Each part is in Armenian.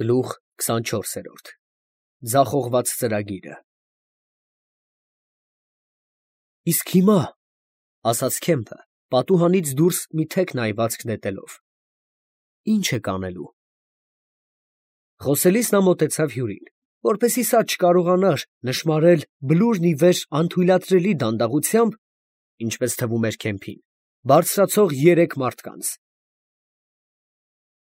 Գլուխ 24 Ձախողված ծրագիրը։ Իսկ հիմա, ասաց Քեմփը, պատուհանից դուրս մի թեք նայվածք նետելով, ի՞նչ եք անելու։ Խոսելիս նա մոտեցավ հյուրին, որպեսզի սա չկարողանար նշմարել բլուրն ի վեր անթույլատրելի դանդաղությամբ, ինչպես թվում էր Քեմփին, բարձրացող երեք մարդկանց։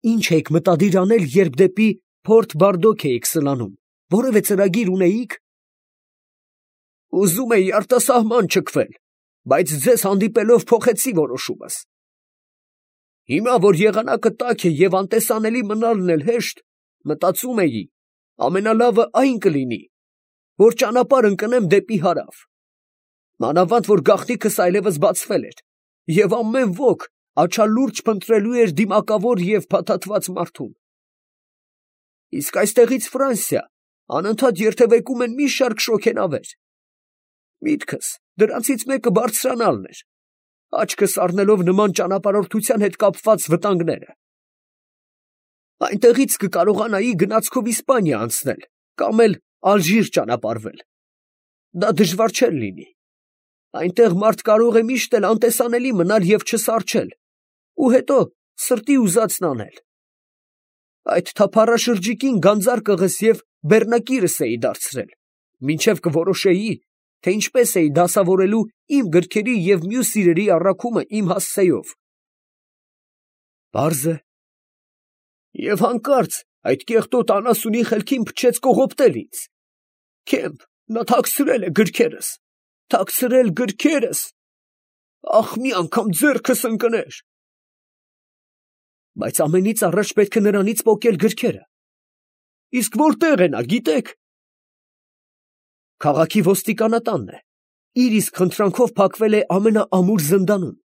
Ի՞նչ էիք մտադիր անել, երբ դեպի Փորթ Բարդոք էիք սլանում, որևէ ծրագիր ունեիք։ Ուզում էի արտասահման չքվել, բայց ձեզ հանդիպելով փոխեցի որոշումս։ Հիմա, որ եղանակը տաք է և անտեսանելի մնալն էլ հեշտ, մտածում էի, ամենալավը այն կլինի, որ ճանապարհ ընկնեմ դեպի հարավ։ Մանավանդ, որ գաղտնիքս այլևս բացվել էր, և ամեն ոք աչալուրջ փնտրելու էր դիմակավոր և փաթաթված մարդուն։ Իսկ այստեղից Ֆրանսիա անընդհատ երթևեկում են մի շարք շոգենավեր։ Միտքս դրանցից մեկը բարձրանալն էր, աչքս առնելով նման ճանապարհորդության հետ կապված վտանգները։ Այնտեղից կկարողանայի գնացքով Իսպանիա անցնել կամ էլ Ալժիր ճանապարհվել։ Դա դժվար չէր լինի։ Այնտեղ մարդ կարող է միշտ էլ անտեսանելի մնալ և չսառչել, ու հետո սրտի ուզածն անել։ Այդ թափառաշրջիկին գանձարկղս և բեռնակիրս էի դարձրել, մինչև կորոշեի, թե ինչպես էի դասավորելու իմ գրքերի և մյուս իրերի առաքումը իմ հասցեով։ Պարզ է։ Եվ հանկարծ այդ կեղտոտ անասունի խելքին փչեց կողոպտել ինձ։ Քեմփ, նա թաքցրել է գրքերս, թաքցրել գրքերս, ախ, մի անգամ ձեռքս ընկներ։ Բայց ամենից առաջ պետք է նրանից պոկել գրքերը։ Իսկ որտեղ է նա, գիտեք։ Քաղաքի ոստիկանատանն է, իր իսկ խնդրանքով փակվել է ամենաամուր զնդանում։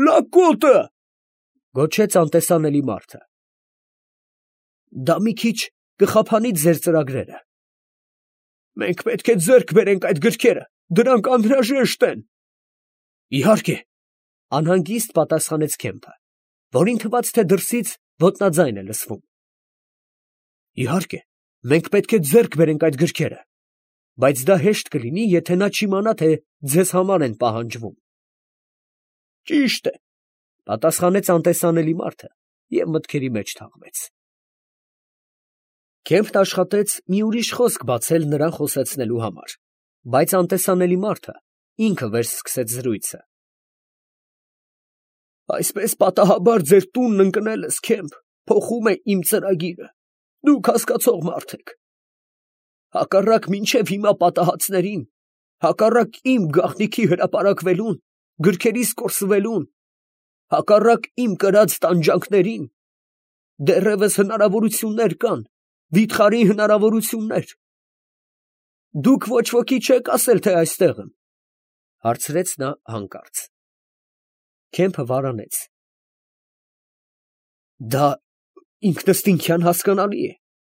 Լակոտը, գոչեց անտեսանելի մարդը։ Դա մի քիչ կխափանի ձեր ծրագրերը։ Մենք պետք է ձեռք բերենք այդ գրքերը, դրանք անհրաժեշտ են։ Իհարկե, անհանգիստ պատասխանեց Քեմփը, որին թվաց, թե դրսից ոտնաձայն է լսվում։ Իհարկե, մենք պետք է ձեռք բերենք այդ գրքերը, բայց դա հեշտ կլինի, եթե նա չիմանա, թե ձեզ համար են պահանջվում։ Ճիշտ է, պատասխանեց անտեսանելի մարդը և մտքերի մեջ թաղվեց։ Քեմփն աշխատեց մի ուրիշ խոսք բացել նրան խոսեցնելու համար, բայց անտեսանելի մարդը ինքը վերսկսեց զրույցը։ Այսպես պատահաբար ձեր տունն ընկնելս, Քեմփ, փոխում է իմ ծրագիրը, դուք հասկացող մարդ եք։ Հակառակ մինչև հիմա պատահածներին, հակառակ իմ գաղտնիքի հրապարակվելուն, գրքերիս կորսվելուն, հակառակ իմ կրած տանջանքներին, դեռևս հնարավորություններ կան, վիթխարի հնարավորություններ։ Դուք ոչ ոքի չեք ասել, թե այստեղ եմ, հարցրեց նա հանկարծ։ Քեմփը վարանեց։ Դա ինքնըստինքյան հասկանալի է,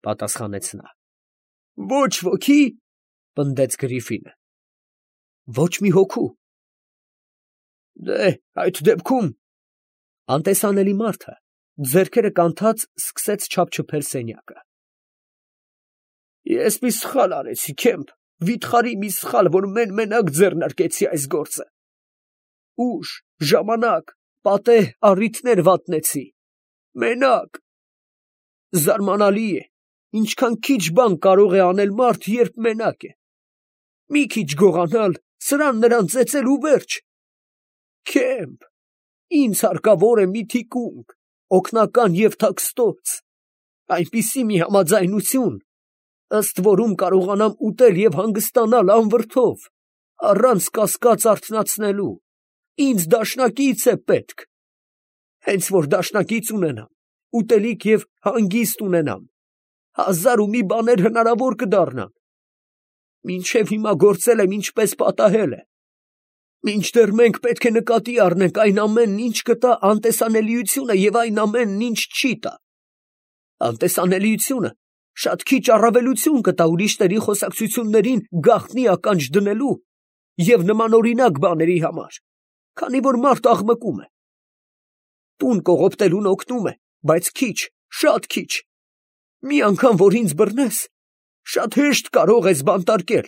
պատասխանեց նա։ Ոչ ոքի, պնդեց Գրիֆինը։ Ոչ մի հոգու։ Դե, այդ դեպքում, անտեսանելի մարդը ձեռքերը կանթած սկսեց չափչփել սենյակը։ Ես մի սխալ արեցի, Քեմփ, վիթխարի մի սխալ, որ մենակ ձեռնարկեցի այս գործը։ Ուժ, ժամանակ, պատեհ առիթներ վատնեցի։ Մենակ։ Զարմանալի է, ինչքան քիչ բան կարող է անել մարդ, երբ մենակ է։ Մի քիչ գողանալ, սրան նրան ծեծել ու վերջ։ Քեմփ, ինձ հարկավոր է մի թիկունք, օգնական և թաքստոց, այնպիսի մի համաձայնություն, ըստ որում կարողանամ ուտել և հանգստանալ անվրդով, առանց կասկած արթնացնելու։ Ինձ դաշնակից է պետք։ Հենց որ դաշնակից ունենամ, ուտելիք և հանգիստ ունենամ, հազար ու մի բաներ հնարավոր կդառնան։ Մինչև հիմա գործել եմ ինչպես պատահել է։ Մինչդեռ մենք պետք է նկատի առնենք այն ամենն, ինչ կտա անտեսանելիությունը և այն ամենն, ինչ չի տա։ Անտեսանելիությունը շատ քիչ առավելություն կտա ուրիշների խոսակցություններին գաղտնի ականջ դնելու և նմանօրինակ բաների համար, քանի որ մարդ աղմկում է։ Տուն կողոպտելուն օգնում է, բայց քիչ, շատ քիչ։ Մի անգամ, որ ինձ բռնես, շատ հեշտ կարող ես բանտարկել։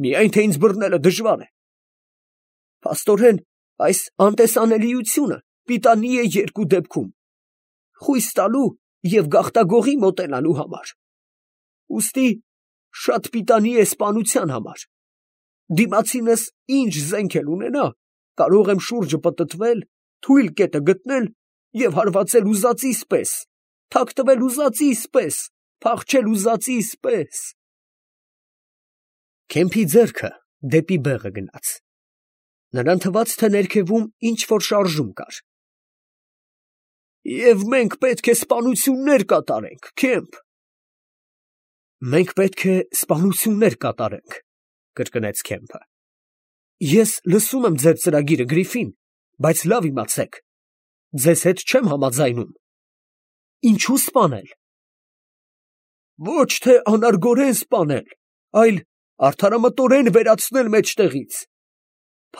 Միայն թե ինձ բռնելը դժվար է։ Փաստորեն, այս անտեսանելիությունը պիտանի է երկու դեպքում. խույս տալու և գաղտագողի մոտենալու համար։ Ուստի շատ պիտանի է սպանության համար։ Դիմացինս ինչ զենք էլ ունենա, կարող եմ շուրջը պտտվել, թույլ կետը գտնել և հարվածել ուզածիս պես, թաքնվել ուզածիս պես, փախչել ուզածիս պես։ Քեմփի ձեռքը դեպի բեղը գնաց։ Նրան թվաց, թե ներքևում ինչ-որ շարժում կար։ Եվ մենք պետք է սպանություններ կատարենք, Քեմփ։ Մենք պետք է սպանություններ կատարենք, կրկնեց Քեմփը։ Ես լսում եմ ձեր ծրագիրը, Գրիֆին, բայց լավ իմացեք, ձեզ հետ չեմ համաձայնում։ Ինչու սպանել։ Ոչ թե անարգորեն սպանել, այլ արդարամտորեն վերացնել մեջտեղից։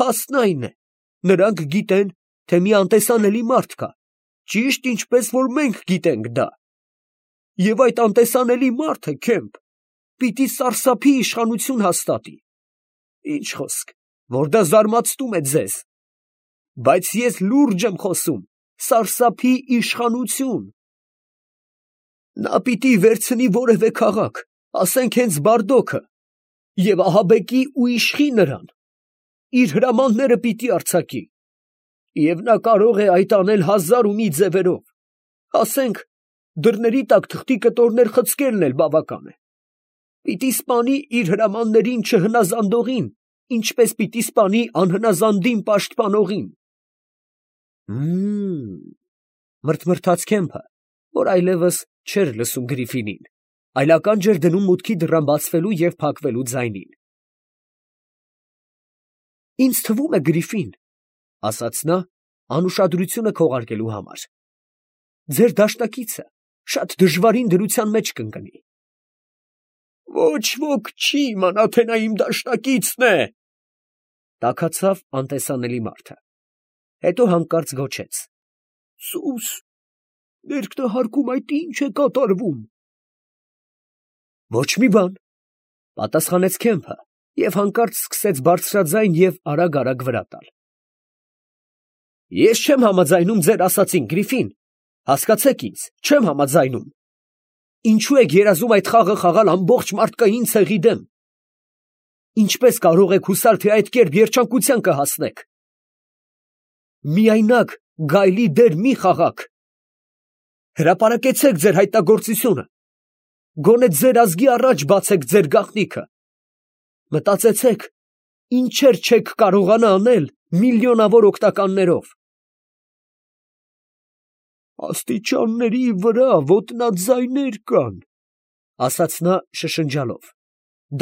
Փաստն այն է, նրանք գիտեն, թե մի անտեսանելի մարդ կա, ճիշտ ինչպես որ մենք գիտենք դա։ Եվ այդ անտեսանելի մարդը, Քեմփ, պիտի սարսափի իշխանություն հաստատի։ Ինչ խոսք, որ դա զարմացնում է ձեզ։ Բայց ես լուրջ եմ խոսում, սարսափի իշխանություն։ Նա պիտի վերցնի որևէ քաղաք, ասենք հենց Բարդոքը, և ահաբեկի ու իշխի նրան, իր հրամանները պիտի արձակի, և նա կարող է այդ անել 1000 ու մի ձևերով, ասենք, դռների տակ թղթի կտորներ խցկելն էլ բավական է, պիտի սպանի իր հրամաններին չհնազանդողին, ինչպես պիտի սպանի անհնազանդին պաշտպանողին։ Մրթմրթաց Քեմփը, որ այլևս չէր լսում Գրիֆինին, այլ ականջ էր դնում մուտքի դռան բացվելու և փակվելու ձայնին։ Ինձ թվում է, Գրիֆին, ասաց նա, անուշադրությունը քողարկելու համար, ձեր դաշնակիցը շատ դժվարին դրության մեջ կընկնի։ Ոչ ոք չի իմանա, թե նա իմ դաշնակիցն է, տաքացավ անտեսանելի մարդը, հետո հանկարծ գոչեց. Սուս, ներքնահարկում այդ ինչ է կատարվում։ Ոչ մի բան, պատասխանեց Քեմփը և հանկարծ սկսեց բարձրաձայն և արագ վրա տալ։ Ես չեմ համաձայնում ձեր ասածին, Գրիֆին, հասկացեք ինձ, չեմ համաձայնում։ Ինչու եք երազում այդ խաղը խաղալ ամբողջ մարդկային ցեղի դեմ։ Ինչպես կարող եք հուսալ, թե այդ կերպ երջանկության կհասնեք։ Միայնակ գայլի դեր մի խաղաք։ Հրապարակեցեք ձեր հայտնագործությունը։ Գոնե ձեր ազգի առաջ բացեք ձեր գաղտնիքը։ Մտածեցեք, ինչեր չեք կարողանա անել միլիոնավոր օգնականներով։ Աստիճանների վրա ոտնաձայներ կան, ասաց նա շշնջալով։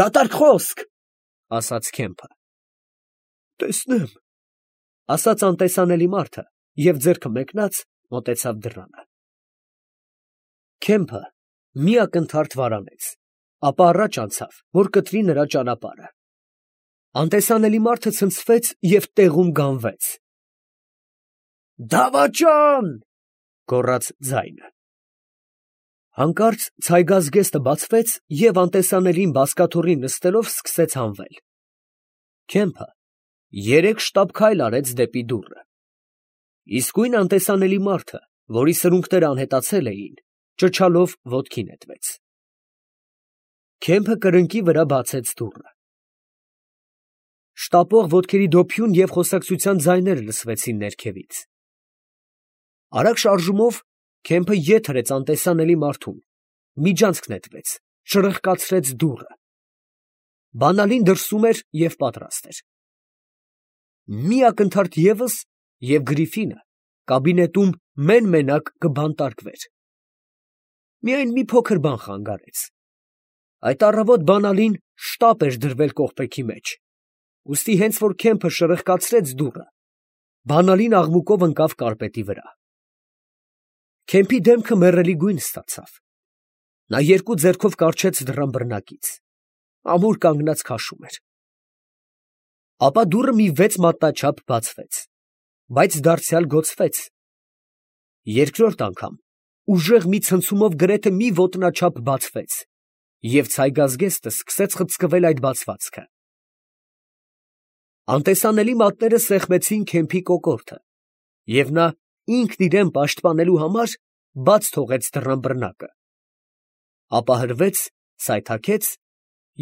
Դատարկ խոսք, ասաց Քեմփը։ Տեսնեմ, ասաց անտեսանելի մարդը և ձեռքը մեկնած մոտեցավ դռանը։ Քեմփը մի ակնթարթ վարանեց, ապա առաջ անցավ, որ կտրի նրա ճանապարհը։ Անտեսանելի մարդը ցնցվեց և տեղում գանվեց։ Դավաճան, գոռաց ձայնը։ Հանկարծ ցայգազգեստը բացվեց և անտեսանելին բազկաթոռին նստելով սկսեց հանվել։ Քեմփը 3 շտապ քայլ արեց դեպի դուռը։ Իսկույն անտեսանելի մարդը, որի սրունքները անհետացել էին, ճչալով ոտքի նետվեց։ Քեմփը կրնկի վրա բացեց դուռը։ Շտապող ոտքերի դոփյուն և խոսակցության ձայներ լսվեցին ներքևից։ Արագ շարժումով Քեմփը ետ հրեց անտեսանելի մարդուն, միջանցք նետվեց, շրխկացրեց դուռը։ Բանալին դրսում էր և պատրաստ էր։ Մի ակնթարթ ևս, և Գրիֆինը կաբինետում մեն֊մենակ կբանտարկվեր։ Միայն մի փոքր բան խանգարեց։ Այդ առավոտ բանալին շտապ էր դրվել կողպեքի մեջ, ուստի հենց որ Քեմփը շրխկացրեց դուռը, բանալին աղմուկով ընկավ կարկեպետի վրա։ Քեմփի դեմքը մեռելի գույն ստացավ։ Նա երկու ձեռքով կառչեց դռան բռնակից, ամուր կանգնած քաշում էր։ Ապա դուռը մի 6 մատնաչափ բացվեց, բայց դարձյալ գոցվեց։ Երկրորդ անգամ ուժեղ մի ցնցումով գրեթե մի ոտնաչափ բացվեց, և ցայգազգեստը սկսեց խցկվել այդ բացվածքը։ Անտեսանելի մատները սեղմեցին Քեմփի կոկորդը, և նա ինքն իրան պաշտպանելու համար բաց թողեց դռան բռնակը, ապա հրվեց, սայթաքեց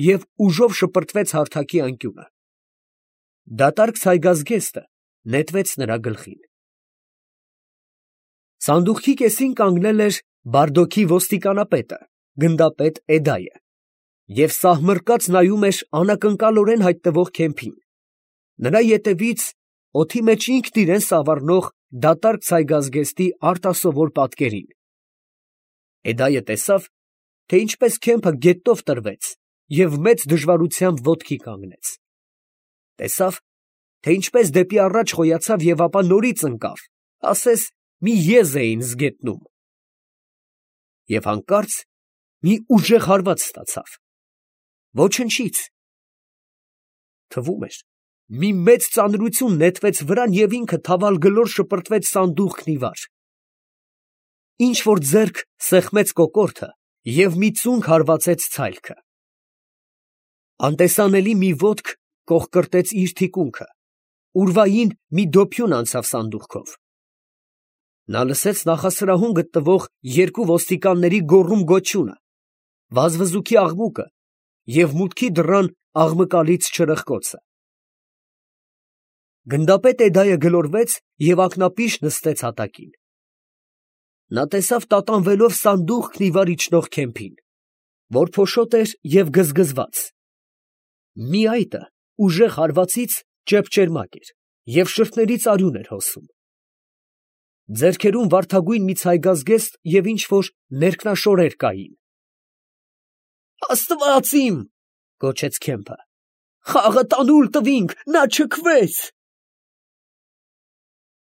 և ուժով շպրտվեց հարթակի անկյունը։ Դատարկ ցայգազգեստը նետվեց նրա գլխին։ Սանդուղքի կեսին կանգնել էր Բարդոքի ոստիկանապետը, գնդապետ Էդայը, և սահմռկած նայում էր անակնկալորեն հայտնվող Քեմփին, նրա ետևից օդի մեջ ինքն իրան սավառնող դատարկ ցայգազգեստի արտասովոր պատկերին։ Էդայը տեսավ, թե ինչպես Քեմփը գետով տրվեց և մեծ դժվարությամբ ոտքի կանգնեց. տեսավ, թե ինչպես դեպի առաջ խոյացավ և ապա նորից ընկավ, ասես մի եզ էին զգետնում, և հանկարծ մի ուժեղ հարված ստացավ. ոչնչից։ Թվում էր, մի մեծ ծանրություն նետվեց վրան և ինքը թավալ գլոր շպրտվեց սանդուղքն ի վար։ Ինչ֊որ ձեռք սեղմեց կոկորդը և մի ծունկ հարվածեց ցայլքը։ Անտեսանելի մի ոտք կոխկրտեց իր թիկունքը, ուրվային մի դոփյուն անցավ սանդուղքով։ Նա լսեց նախասրահում գտնվող երկու ոստիկանների գոռում֊գոչյունը, վազվզուքի աղմուկը և մուտքի դռան աղմկալից չրըխկոցը։ Գնդապետ Էդայը գլորվեց և ակնապիշ նստեց հատակին։ Նա տեսավ տատանվելով սանդուղքն ի վար իջնող Քեմփին, որ փոշոտ էր և գզգզված։ Մի այտը ուժեղ հարվածից ճեպճերմակ էր և շրթներից արյուն էր հոսում։ Ձեռքերում վարդագույն մի ցայգազգեստ և ինչ֊որ ներքնաշորեր կային։ «Աստված իմ, ֊ գոչեց Քեմփը, ֊ խաղը տանուլ տվինք, նա չքվեց»։